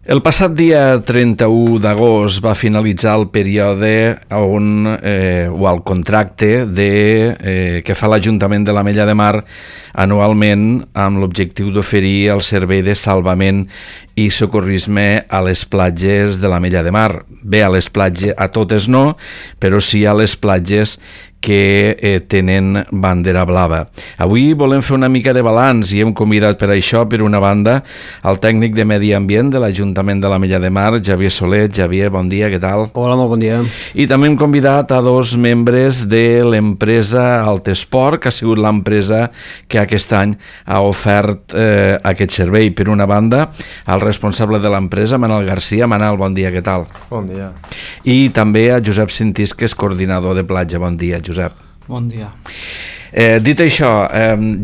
El passat dia 31 d'agost va finalitzar el període o el contracte que fa l'Ajuntament de l'Ametlla de Mar anualment amb l'objectiu d'oferir el servei de salvament i socorrisme a les platges de l'Ametlla de Mar. Bé, a les platges, a totes no, però sí a les platges que tenen bandera blava. Avui volem fer una mica de balanç i hem convidat per això, per una banda, el tècnic de Medi Ambient de l'Ajuntament de l'Ametlla de Mar, Javier Soler. Javier, bon dia, què tal? Hola, molt bon dia. I també hem convidat a dos membres de l'empresa Altesport, que ha sigut l'empresa que aquest any ha ofert aquest servei. Per una banda, el responsable de l'empresa, Manel Garcia. Manel, bon dia, què tal? Bon dia. I també a Josep Sintís, que és coordinador de platja. Bon dia, Josep. Bon dia. Dit això,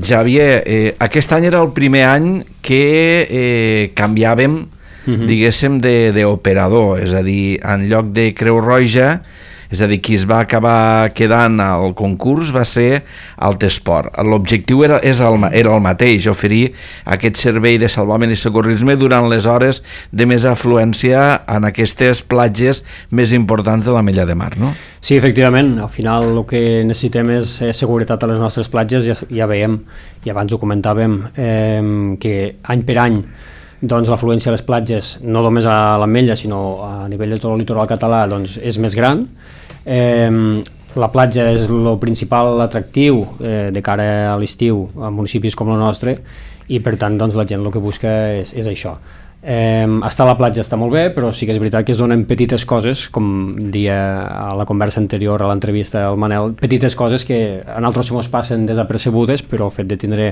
Javier, aquest any era el primer any que canviàvem, diguéssim, d'operador, és a dir, en lloc de Creu Roja, és a dir, qui es va acabar quedant al concurs va ser Altesport. L'objectiu era el mateix, oferir aquest servei de salvament i socorrisme durant les hores de més afluència en aquestes platges més importants de l'Ametlla de Mar, no? Sí, efectivament, al final el que necessitem és seguretat a les nostres platges. Ja veiem, i abans ho comentàvem, que any per any doncs l'afluència a les platges, no només a l'Ametlla sinó a nivell de tot el litoral català, doncs és més gran. La platja és el principal atractiu de cara a l'estiu a municipis com el nostre i per tant doncs, la gent el que busca és això. Estar a la platja està molt bé, però sí que és veritat que es donen petites coses, com deia a la conversa anterior a l'entrevista al Manel, petites coses que a nosaltres ens passen desapercebudes, però el fet de tindre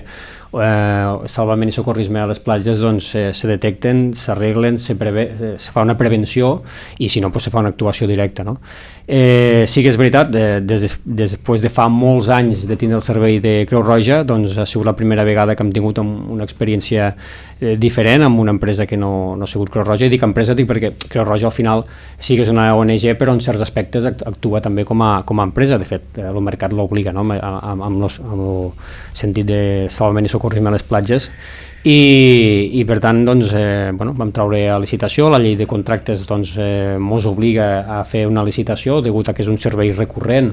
salvament i socorrisme a les platges doncs se detecten, s'arreglen, se fa una prevenció i si no doncs se fa una actuació directa, no? Sí que és veritat, després de fa molts anys de tindre el servei de Creu Roja, doncs ha sigut la primera vegada que hem tingut una experiència diferent amb una empresa que no ha sigut Creu Roja. I dic empresa perquè Creu Roja al final sí que és una ONG, però en certs aspectes actua també com a empresa. De fet, el mercat l'obliga, no? amb el sentit de salvament i socorrisme a les platges. I per tant doncs, vam treure a licitació. La llei de contractes doncs, ens obliga a fer una licitació degut a que és un servei recurrent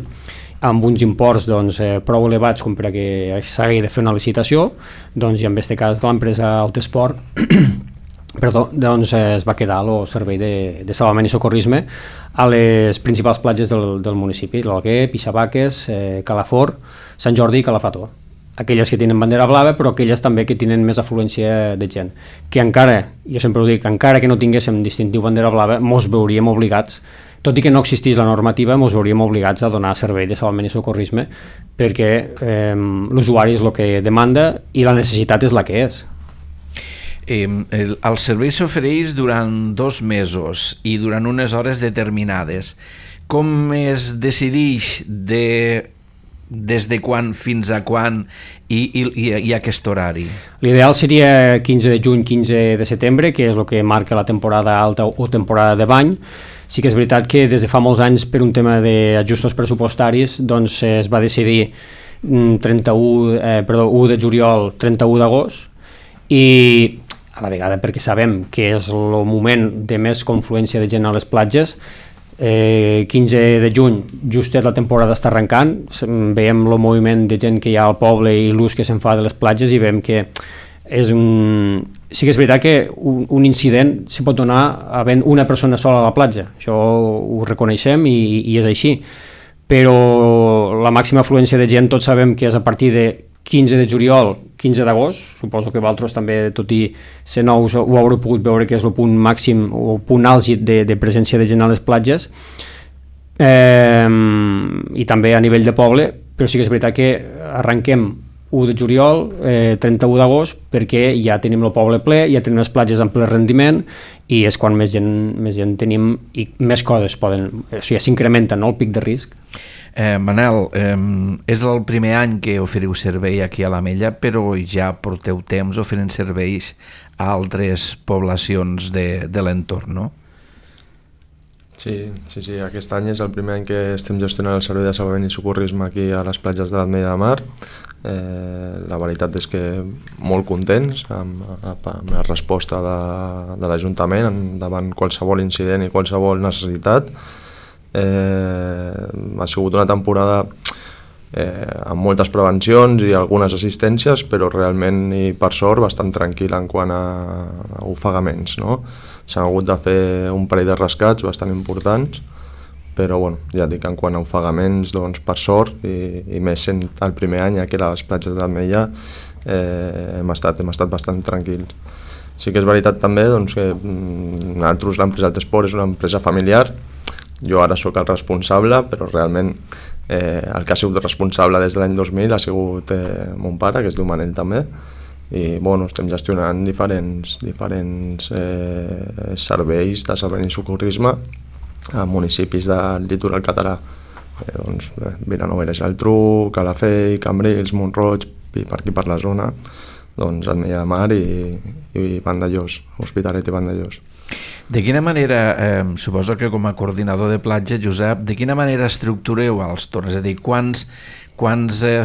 amb uns imports doncs, prou elevats com per a que s'hagi de fer una licitació, doncs, i en aquest cas de l'empresa Altesport doncs, es va quedar el servei de salvament i socorrisme a les principals platges del municipi, l'Alguer, Pixabaques, Calafort, Sant Jordi i Calafató. Aquelles que tenen bandera blava, però aquelles també que tenen més afluència de gent, que encara, jo sempre ho dic, encara que no tinguéssim distintiu bandera blava, mos veuríem obligats, tot i que no existís la normativa, ens veuríem obligats a donar servei de salvament i socorrisme perquè l'usuari és el que demanda i la necessitat és la que és. El servei s'ofereix durant 2 mesos i durant unes hores determinades. Com es decideix des de quan fins a quan i aquest horari? L'ideal seria 15 de juny, 15 de setembre, que és el que marca la temporada alta o temporada de bany. Sí que és veritat que des de fa molts anys, per un tema d'ajustos pressupostaris, doncs es va decidir 1 de juliol, 31 d'agost, i a la vegada perquè sabem que és el moment de més confluència de gent a les platges. 15 de juny, justet la temporada està arrencant, veiem el moviment de gent que hi ha al poble i l'ús que se'n fa de les platges i veiem que és sí que és veritat que un incident s'hi pot donar havent una persona sola a la platja, això ho reconeixem i és així, però la màxima afluència de gent tots sabem que és a partir de 15 de juliol, 15 d'agost, suposo que vosaltres també, tot i ser nous, ho haureu pogut veure que és el punt màxim o el punt àlgid de presència de gent a les platges, i també a nivell de poble, però sí que és veritat que arrenquem 1 de juliol, 31 d'agost, perquè ja tenim el poble ple, ja tenim les platges en ple rendiment i és quan més gent tenim i més coses s'incrementen, no, el pic de risc. Manel, és el primer any que oferiu servei aquí a l'Ametlla, però ja porteu temps oferint serveis a altres poblacions de l'entorn, no? Sí, aquest any és el primer any que estem gestionant el servei de salvament i socorrisme aquí a les platges de l'Ametlla de Mar. La veritat és que molt contents amb la resposta de l'Ajuntament davant qualsevol incident i qualsevol necessitat. Ha sigut una temporada amb moltes prevencions i algunes assistències, però realment i per sort bastant tranquil en quant a ofegaments, no? S'han hagut de fer un parell de rescats bastant importants, però bueno, ja dic, en quant a ofegaments, doncs per sort, i més sent el primer any aquí a les platges de l'Ametlla, hem estat bastant tranquils. Sí que és veritat també doncs, que nosaltres, l'empresa Altesport és una empresa familiar, jo ara sóc el responsable, però realment el que ha sigut responsable des de l'any 2000 ha sigut mon pare, que es diu Manel també, i bueno, estem gestionant diferents serveis de salvament i socorrisme a municipis del litoral català, Vilanova i la Geltrú, Calafell, Cambrils, Mont-roig, per aquí per la zona, doncs Ametlla de Mar i Vandellós, Hospitalet i Vandellós. De quina manera, suposo que com a coordinador de platja, Josep, de quina manera estructureu els torns? És a dir, quants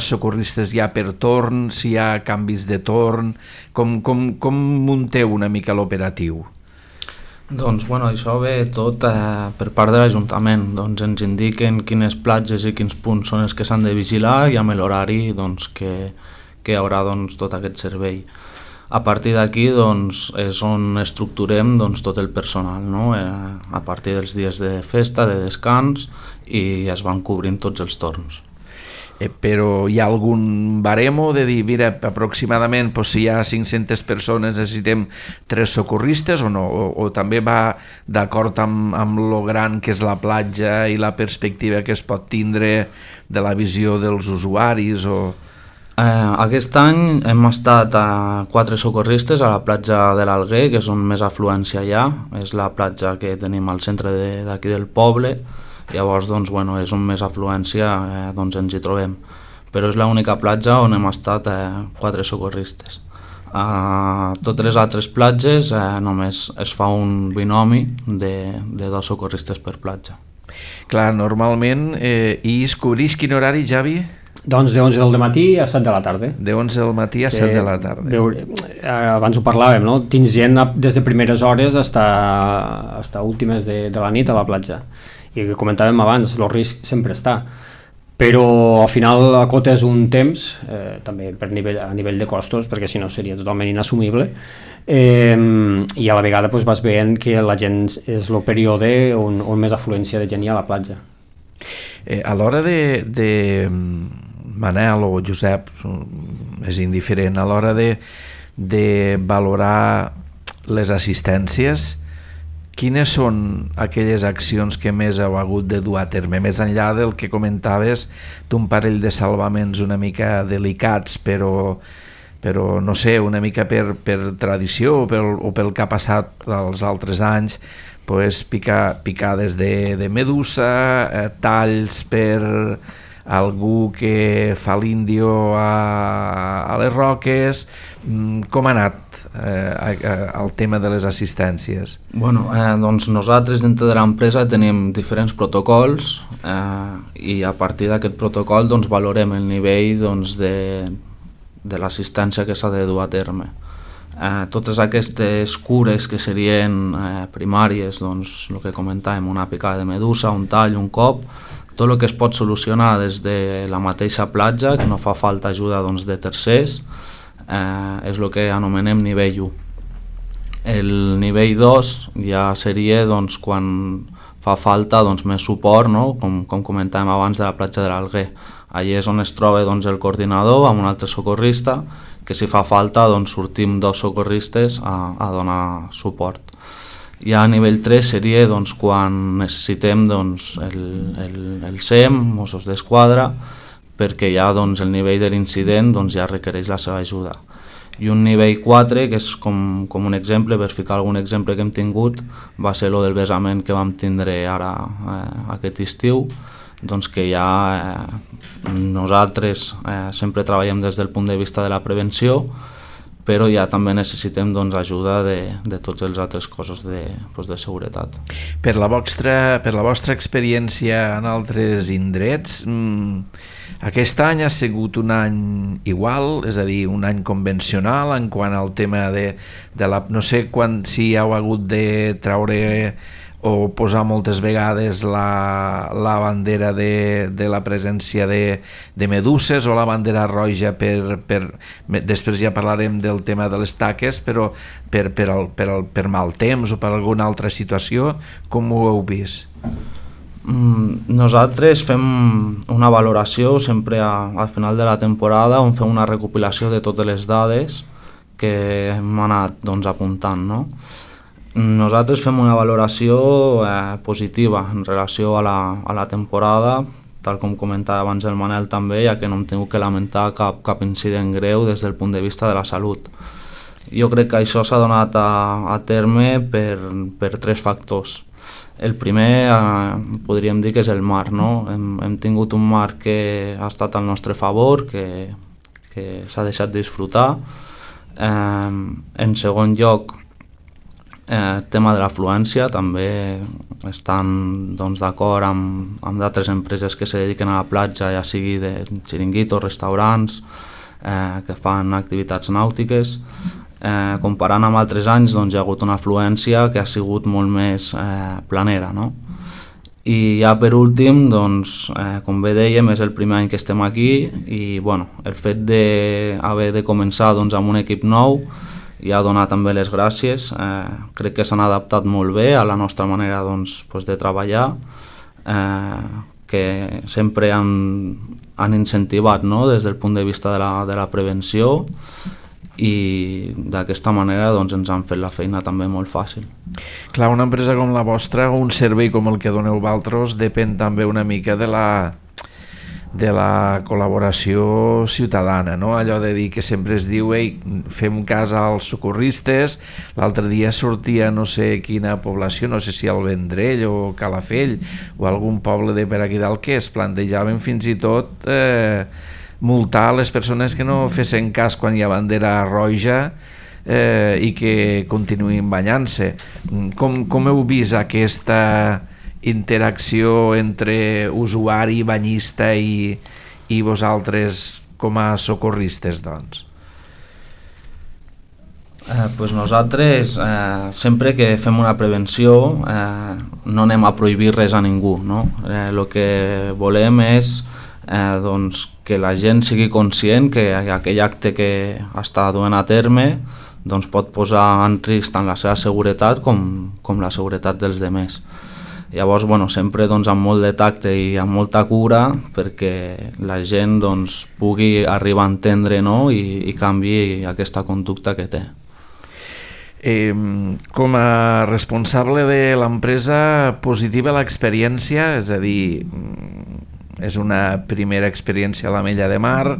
socorristes hi ha per torn, si hi ha canvis de torn, com munteu una mica l'operatiu? Doncs bueno, això ve tot per part de l'Ajuntament, doncs ens indiquen quines platges i quins punts són els que s'han de vigilar i amb l'horari doncs, que hi haurà doncs, tot aquest servei. A partir d'aquí doncs, és on estructurem doncs, tot el personal, no? A partir dels dies de festa, de descans, i es van cobrint tots els torns. Però hi ha algun baremo de dir, mira, aproximadament si hi ha 500 persones necessitem 3 socorristes o no? O també va d'acord amb lo gran que és la platja i la perspectiva que es pot tindre de la visió dels usuaris? Aquest any hem estat a 4 socorristes a la platja de l'Alguer, que és on més afluència hi ha, és la platja que tenim al centre d'aquí del poble. Llavors doncs, bueno, és on més afluència doncs ens hi trobem, però és l'única platja on hem estat 4 socorristes. A totes les altres platges només es fa un binomi de 2 socorristes per platja. Clar, normalment, i es cobreix quin horari, Javi? Doncs de 11 del matí a 7 de la tarda. De 11 del matí a 7 de la tarda. Abans ho parlàvem, no? Tens gent des de primeres hores fins a últimes de la nit a la platja. I que comentàvem abans, el risc sempre està, però al final acotes un temps, també a nivell de costos, perquè si no seria totalment inassumible, i a la vegada doncs, vas veient que la gent és el període on més afluència de gent hi ha a la platja. A l'hora de Manel o Josep, és indiferent, a l'hora de valorar les assistències, quines són aquelles accions que més heu hagut de dur a terme? Més enllà del que comentaves, d'un parell de salvaments una mica delicats, però no sé, una mica per tradició o pel que ha passat els altres anys, pues, picades de medusa, talls per algú que fa l'índio a les roques. Com ha anat el tema de les assistències? Bueno, doncs nosaltres dintre de l'empresa tenim diferents protocols i a partir d'aquest protocol doncs, valorem el nivell doncs, de l'assistència que s'ha de dur a terme. Totes aquestes cures que serien primàries, doncs, el que comentàvem, una picada de medusa, un tall, un cop, tot el que es pot solucionar des de la mateixa platja, que no fa falta ajuda doncs, de tercers, és el que anomenem nivell 1. El nivell 2 ja seria doncs, quan fa falta doncs, més suport, no? com comentàvem abans de la platja de l'Alguer. Allí és on es troba doncs, el coordinador amb un altre socorrista, que si fa falta doncs, sortim 2 socorristes a donar suport. Ja a nivell 3 seria doncs, quan necessitem doncs, el SEM, Mossos d'Esquadra, perquè ja doncs, el nivell de l'incident doncs, ja requereix la seva ajuda. I un nivell 4, que és com un exemple, per ficar algun exemple que hem tingut, va ser el del vessament que vam tindre ara aquest estiu, doncs que ja nosaltres sempre treballem des del punt de vista de la prevenció, però ja també necessitem doncs, ajuda de tots els altres cossos de seguretat. Per la vostra experiència en altres indrets, aquest any ha sigut un any igual, és a dir, un any convencional en quant al tema de la... No sé si heu hagut de treure o posar moltes vegades la bandera de la presència de meduses o la bandera roja després ja parlarem del tema de les taques, però per mal temps o per alguna altra situació, com ho heu vist? Nosaltres fem una valoració sempre al final de la temporada on fem una recopilació de totes les dades que hem anat doncs, apuntant, no? Nosaltres fem una valoració positiva en relació a la temporada, tal com comentava abans el Manel també, ja que no hem tingut que lamentar cap incident greu des del punt de vista de la salut. Jo crec que això s'ha donat a terme per 3 factors. El primer podríem dir que és el mar, no? Hem tingut un mar que ha estat al nostre favor, que s'ha deixat disfrutar. En segon lloc, tema de l'afluència, també estan doncs, d'acord amb d'altres empreses que se dediquen a la platja, ja sigui de xiringuitos, restaurants, que fan activitats nàutiques. Comparant amb altres anys doncs, hi ha hagut una afluència que ha sigut molt més planera, no? I ja per últim, doncs, com bé dèiem, és el primer any que estem aquí i bueno, el fet d'haver de començar doncs, amb un equip nou ja donar també les gràcies. Crec que s'han adaptat molt bé a la nostra manera doncs, de treballar, que sempre han incentivat, no? Des del punt de vista de la prevenció, i d'aquesta manera doncs, ens han fet la feina també molt fàcil. Clar, una empresa com la vostra o un servei com el que doneu vosaltres depèn també una mica de la col·laboració ciutadana, no? Allò de dir que sempre es diu fem cas als socorristes. L'altre dia sortia no sé quina població, no sé si el Vendrell o Calafell o algun poble de per aquí dalt, que es plantejaven fins i tot multar les persones que no fessin cas quan hi ha bandera roja i que continuïn banyant-se. Com heu vist aquesta interacció entre usuari, banyista i vosaltres com a socorristes, doncs? Pues nosaltres sempre que fem una prevenció no anem a prohibir res a ningú, no? El que volem és doncs, que la gent sigui conscient que aquell acte que està duent a terme doncs, pot posar en risc tant la seva seguretat com la seguretat dels demés. Llavors, bueno, sempre doncs, amb molt de tacte i amb molta cura perquè la gent doncs, pugui arribar a entendre, no? I canviï aquesta conducta que té. Com a responsable de l'empresa, positiva l'experiència, és a dir, és una primera experiència a l'Ametlla de Mar.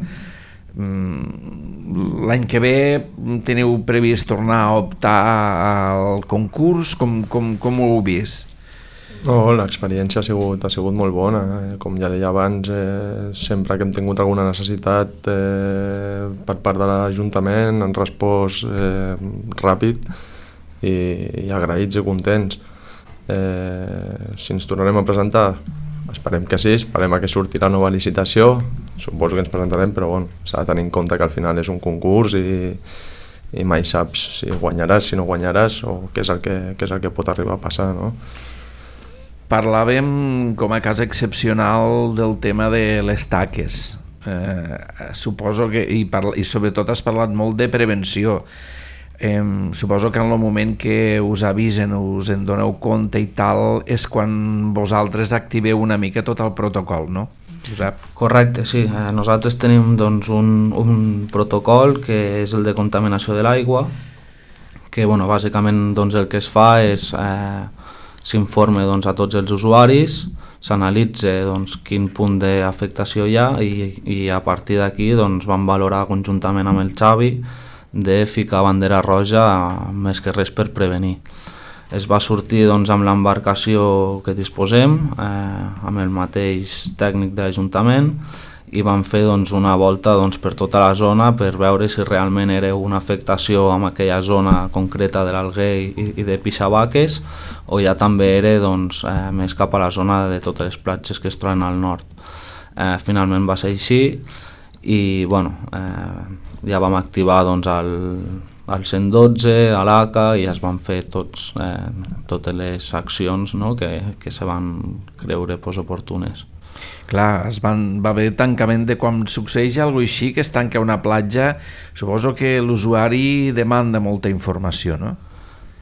L'any que ve teniu previst tornar a optar al concurs? Com ho heu vist? No, l'experiència ha sigut molt bona. Com ja deia abans, sempre que hem tingut alguna necessitat per part de l'Ajuntament han respost ràpid i agraïts i contents. Si ens tornarem a presentar, esperem que sí, esperem que surti la nova licitació, suposo que ens presentarem, però bueno, s'ha de tenir en compte que al final és un concurs i mai saps si guanyaràs, si no guanyaràs o què és el que pot arribar a passar, no? Parlàvem com a cas excepcional del tema de les taques. Suposo que, i sobretot has parlat molt de prevenció. Suposo que en el moment que us avisen, us en doneu compte i tal, és quan vosaltres activeu una mica tot el protocol, no, Josep? Correcte, sí. Nosaltres tenim doncs, un protocol que és el de contaminació de l'aigua, que bueno, bàsicament doncs, el que es fa és s'informa doncs, a tots els usuaris, s'analitza doncs, quin punt d'afectació hi ha i a partir d'aquí doncs, vam valorar conjuntament amb el Xavi de ficar bandera roja més que res per prevenir. Es va sortir doncs, amb l'embarcació que disposem, amb el mateix tècnic de l'Ajuntament, i vam fer doncs, una volta doncs, per tota la zona per veure si realment era una afectació en aquella zona concreta de l'Alguer i de Pixabaques, o ja també era doncs, més cap a la zona de totes les platges que es troben al nord. Finalment va ser així i bueno, ja vam activar doncs, el 112, a l'ACA, i es van fer totes les accions, no? que se van creure oportunes. Clar, va haver tancament de quan succeeix alguna cosa així, que es tanca una platja, suposo que l'usuari demanda molta informació, no?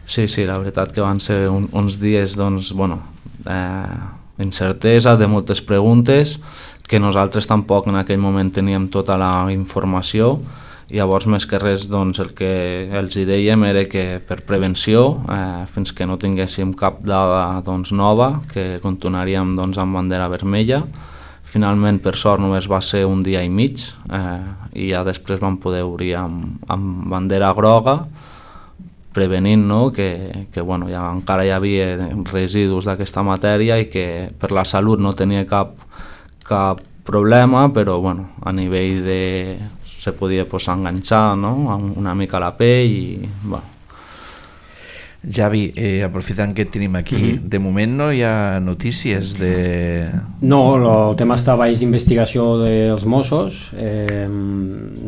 Sí, la veritat que van ser uns dies doncs, incertesa, de moltes preguntes, que nosaltres tampoc en aquell moment teníem tota la informació, i llavors més que res doncs, el que els hi dèiem era que per prevenció, fins que no tinguéssim cap dada doncs, nova, que continuaríem doncs, amb bandera vermella. Finalment, per sort, només va ser un dia i mig, i ja després vam poder obrir amb bandera groga, prevenint, no? que encara hi havia residus d'aquesta matèria i que per la salut no tenia cap problema, però a nivell de... se podia enganxar, no? Una mica la pell i... Javi, aprofitant que et tenim aquí, de moment no hi ha notícies de... No, el tema està baix d'investigació dels Mossos,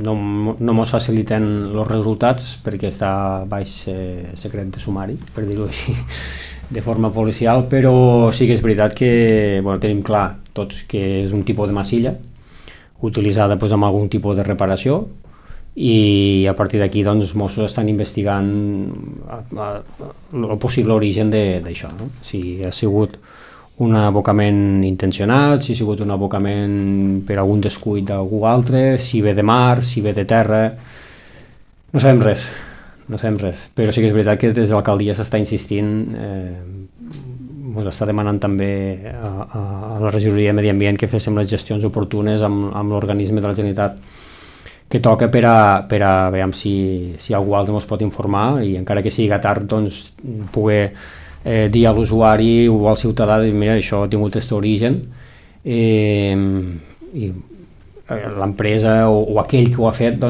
no mos faciliten els resultats perquè està baix secret de sumari, per dir-ho així, de forma policial, però sí que és veritat que tenim clar tots que és un tipus de massilla utilitzada amb algun tipus de reparació, i a partir d'aquí els Mossos estan investigant el possible origen d'això, no? Si ha sigut un abocament intencionat, si ha sigut un abocament per algun descuit d'algú altre, si ve de mar, si ve de terra, no sabem res, però sí que és veritat que des de l'alcaldia s'està insistint, ens està demanant també a la regidoria de Medi Ambient que féssim les gestions oportunes amb l'organisme de la Generalitat que toca per a veure si algú altre ens pot informar, i encara que sigui tard poder dir a l'usuari o al ciutadà, mira, això ha tingut aquest origen, i l'empresa o aquell que ho ha fet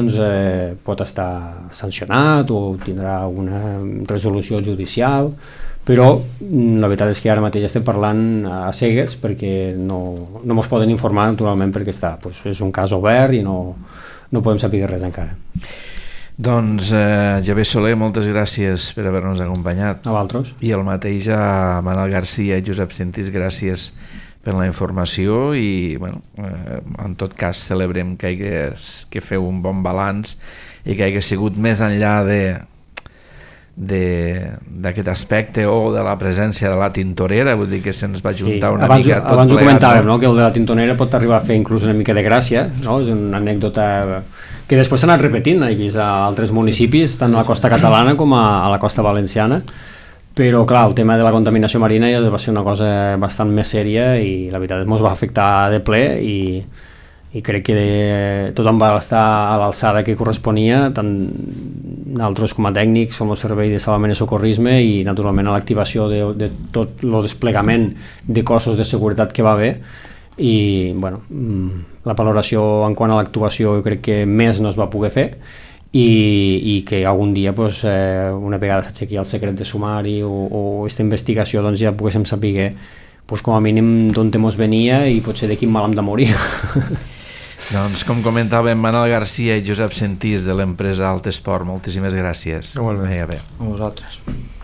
pot estar sancionat o tindrà una resolució judicial, però la veritat és que ara mateix estem parlant a cegues perquè no ens poden informar, naturalment, perquè és un cas obert i no podem saber res encara. Doncs Javier Soler, moltes gràcies per haver-nos acompanyat. A vosaltres. I el mateix a Manel Garcia i Josep Sentís, gràcies per la informació, i en tot cas celebrem que feu un bon balanç i que hagi sigut més enllà d'aquest aspecte o de la presència de la tintorera, vull dir que se'ns va juntar una mica tot plegat. Abans ho comentàvem, no? Que el de la tintorera pot arribar a fer inclús una mica de gràcia, no? És una anècdota que després s'ha anat repetint, he vist a altres municipis, tant a la costa catalana com a la costa valenciana, però clar, el tema de la contaminació marina ja va ser una cosa bastant més sèria i la veritat ens va afectar de ple, i crec que tothom va estar a l'alçada que corresponia, tant nosaltres com a tècnics, com el servei de salvament i socorrisme, i naturalment a l'activació de tot el desplegament de cossos de seguretat que va haver, i la valoració en quant a l'actuació jo crec que més no es va poder fer, i que algun dia una vegada s'aixequi el secret de sumari o aquesta investigació ja poguéssim saber com a mínim d'on ens venia i potser de quin mal hem de morir. Doncs com comentàvem, Manel Garcia i Josep Sentís de l'empresa Altesport, moltíssimes gràcies. Igualment. A vosaltres.